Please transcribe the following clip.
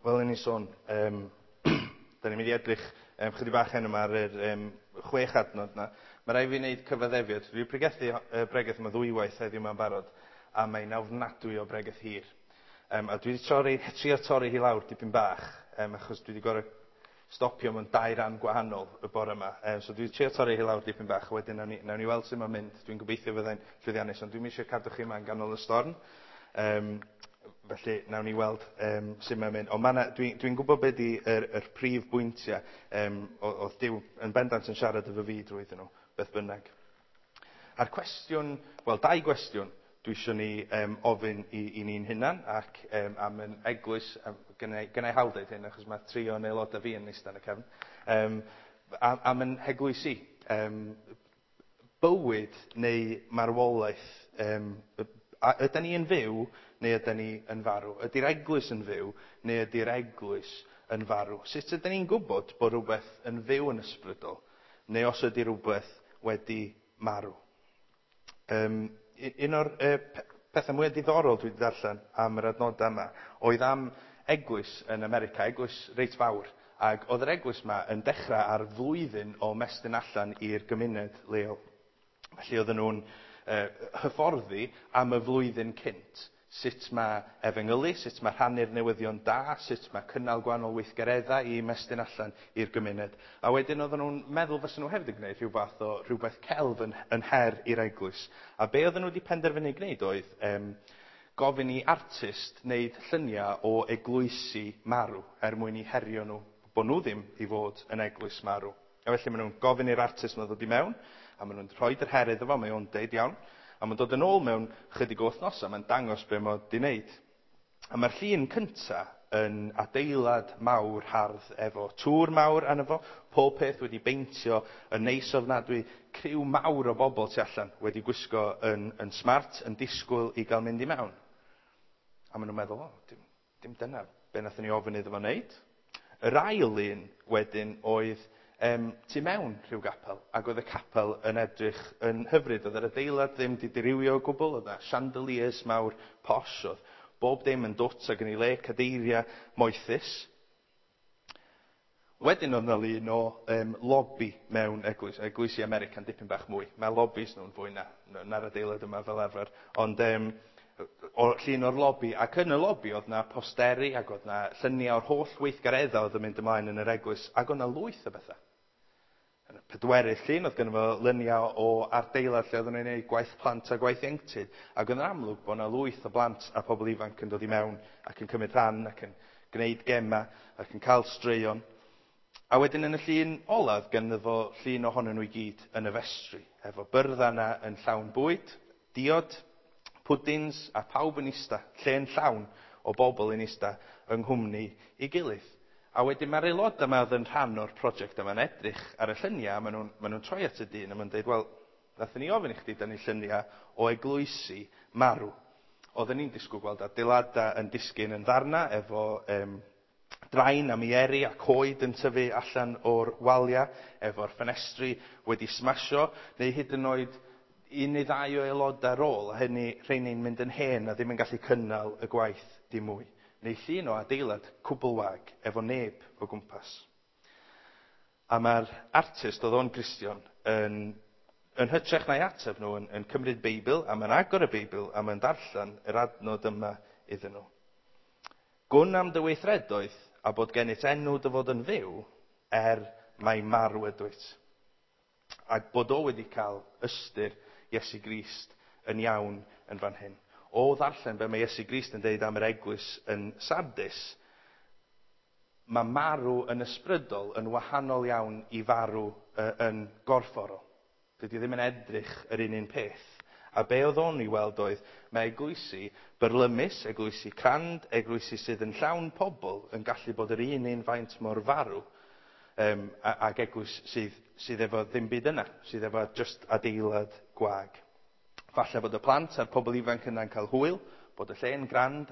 Fel o'n i'n sôn, da ni'n mynd i edrych chydig bach heno yma ar yr 6 adnod yna. Mae rhaid fi wneud cyfaddefiad. Dwi wedi pregethu bregeth yma ddwywaith heddiw yma'n barod, a mae'n ofnadwy o bregeth hir. A dwi wedi trio torri hi lawr dipyn bach, achos dwi wedi gorfod stopio mewn 2 ran gwahanol y bore yma. So dwi wedi trio torri hi lawr dipyn bach, a wedyn nawn ni weld sut mae'n mynd. Dwi'n gobeithio fyddai'n llwyddiannus, ond dwi'm eisiau cadw chi yma yn ganol y storm. Felly, nawn ni weld sut mae'n mynd. Ond dwi'n gwybod be di yr prif bwyntiau, oedd Duw yn bendant yn siarad efo fi drwyddyn nhw, beth bynnag. A'r cwestiwn, wel, 2 gwestiwn dwi eisiau ni ofyn i ni'n hunan ac am yn eglwys, gynna i hawl deud hyn, achos mae 3 o'n aelodau fi yn eistedd yn y cefn, am yn heglwysi, bywyd neu marwolaeth, a ydyn ni yn fyw neu ydyn ni yn farw? Ydy'r eglwys yn fyw neu ydy'r eglwys yn farw? Sut ydyn ni'n gwybod bod rhywbeth yn fyw yn ysbrydol neu os ydy rhywbeth wedi marw? Un o'r pethau mwyaf diddorol dwi wedi darllen am yr adnodau yma oedd am eglwys yn America, eglwys reit fawr. Ac oedd yr eglwys yma yn dechrau ar flwyddyn o mestyn allan i'r gymuned leol. Felly oedden nhw'n hyfforddi am y flwyddyn cynt. Sut mae efengylu, sut mae rhannu'r newyddion da, sut mae cynnal gwahanol weithgareddau i mestyn allan i'r gymuned. A wedyn oedden nhw'n meddwl fysa nhw hefyd yn gwneud rhyw fath o rhywbeth celf yn her i'r eglwys. A be oedden nhw wedi penderfynu gwneud oedd gofyn i artist wneud lluniau o eglwysi marw er mwyn i herio nhw bod nhw ddim i fod yn eglwys marw. A felly maen nhw'n gofyn i'r artist yma ddod i mewn, a maen nhw'n rhoi yr her iddo fo, mae o'n deud iawn, a mae'n dod yn ôl mewn chydig o wythnosau, mae'n dangos be mae o 'di wneud. A mae'r llun cynta yn adeilad mawr hardd efo tŵr mawr arno fo, pob peth wedi beintio yn neis ofnadwy, criw mawr o bobl tu allan wedi gwisgo yn smart, yn disgwyl i gael mynd i mewn. A maen nhw'n meddwl, o, dim dyna be nathon ni ofyn iddo fo wneud. Yr ail un wedyn oedd tu mewn rhyw gapel, ac oedd y capel yn edrych yn hyfryd. Oedd yr adeilad ddim wedi dirywio o gwbl, oedd yna chandeliers mawr posh, oedd bob dim yn dwt ac yn ei le, cadeiriau moethus. Wedyn oedd yna lun o lobby mewn eglwys, eglwysi America'n dipyn bach mwy. Mae lobbies nhw'n fwy na'r adeilad yma fel arfer, ond o llun o'r lobby, ac yn y lobby oedd yna posteri ac oedd yna lluniau o'r holl weithgareddau oedd yn mynd ymlaen yn yr eglwys, ac oedd yna lwyth o bethau. Yn y pedwerydd llun oedd gynno fo luniau o adeilad lle oedden nhw'n gwneud gwaith plant a gwaith ieuenctid, ac oedd yn amlwg bod yna lwyth o blant a pobl ifanc yn dod i mewn ac yn cymryd rhan ac yn gwneud gemau ac yn cael straeon. A wedyn yn y llun olaf gynno fo llun ohonyn nhw i gyd yn y festri, efo byrddau yna yn llawn bwyd, diod, pwdins a pawb yn ista, lle'n llawn o bobl yn ista yng nghwmni ei gilydd. A wedyn mae'r aelodau yma oedd yn rhan o'r prosiect yma'n edrych ar y lluniau, a maen nhw'n troi at y dyn a maen nhw'n dweud, wel, nathon ni ofyn i chdi dynnu lluniau o eglwysi marw. Oedden ni'n disgwyl gweld adeiladau yn disgyn yn ddarna efo drain a mieri a coed yn tyfu allan o'r waliau, efo'r ffenestri wedi smasho, neu hyd yn oed 1 neu 2 o aelodau ar ôl, a hynny rheini'n mynd yn hen a ddim yn gallu cynnal y gwaith dim mwy. Neu llun o adeilad cwbl wag, efo neb o gwmpas. A mae'r artist, oedd o'n Gristion, yn hytrach na'i ateb nhw, yn cymryd Beibl, a mae'n agor y Beibl, a mae'n darllen yr adnod yma iddyn nhw. Gwn am dy weithredoedd, a bod gennyt enw dy fod yn fyw, er mai marw ydwyt. Ac bod o wedi cael ystyr Iesu Grist yn iawn yn fan hyn. O ddarllen be mae Iesu Grist yn deud am yr eglwys yn Sardis, mae marw yn ysbrydol yn wahanol iawn i farw yn gorfforol. Dydy o ddim yn edrych yr un peth. A be oedd o'n ei weld oedd, mae eglwysi byrlymus, eglwysi crand, eglwysi sydd yn llawn pobl yn gallu bod yr un faint mor farw, ac eglwys sydd efo ddim byd yna, sydd efo just adeilad gwag. Falle bod y plant a'r pobl ifanc yna'n cael hwyl, bod y lle'n grand